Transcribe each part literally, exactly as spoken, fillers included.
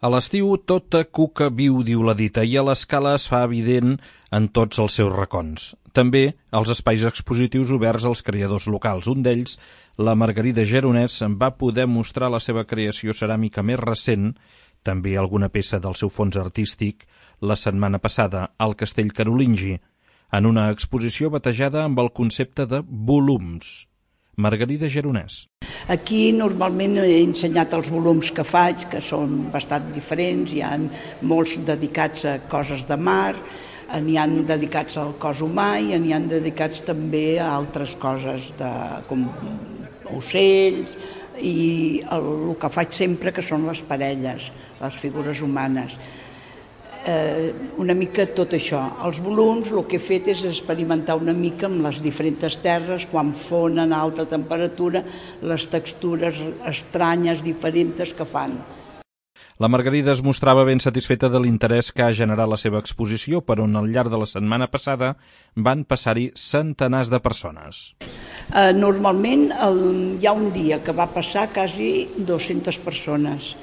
A l'estiu, tota cuca viu, diu la dita, i a l'escala es fa evident en tots els seus racons. També als espais expositius oberts als creadors locals. Un d'ells, la Margarida Geronès, va poder mostrar la seva creació ceràmica més recent, també alguna peça del seu fons artístic, la setmana passada al Castell Carolingi, en una exposició batejada amb el concepte de volums. Margarida Geronès. Aquí normalment he ensenyat els volums que faig, que són bastant diferents. Hi ha molts dedicats a coses de mar, n'hi ha dedicats al cos humà i n'hi ha dedicats també a altres coses, de, com ocells, i el, el que faig sempre que són les parelles, les figures humanes. Eh, una mica tot això. Els volums, el que he fet és experimentar una mica amb les diferents terres, quan fonen a alta temperatura, les textures estranyes, diferents que fan. La Margarida es mostrava ben satisfeta de l'interès que ha generat la seva exposició, per on al llarg de la setmana passada van passar-hi centenars de persones. Eh, normalment el, hi ha un dia que va passar quasi dues-centes persones.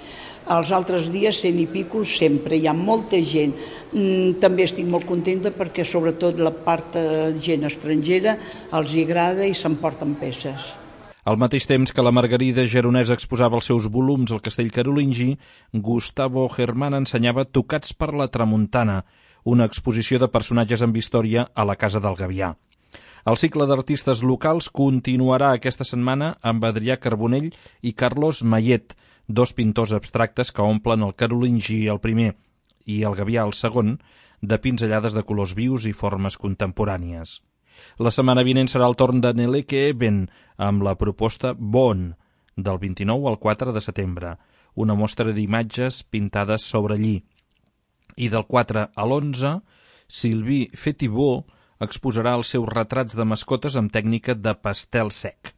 Els altres dies, cent i pico, sempre. Hi ha molta gent. També estic molt contenta perquè, sobretot, la part de gent estrangera els hi agrada i s'emporten peces. Al mateix temps que la Margarida Geronès exposava els seus volums al Castell Carolingi, Gustavo Germán ensenyava Tocats per la Tramuntana, una exposició de personatges amb història a la Casa del Gavià. El cicle d'artistes locals continuarà aquesta setmana amb Adrià Carbonell i Carlos Mayet, dos pintors abstractes que omplen el Carolingi el primer i el Gavià el segon, de pinzellades de colors vius i formes contemporànies. La setmana vinent serà el torn de Neleke Eben, amb la proposta Bon, del vint-i-nou al quatre de setembre, una mostra d'imatges pintades sobre lli. I del quatre a l'onze, Sylvie Fetibot exposarà els seus retrats de mascotes amb tècnica de pastel sec.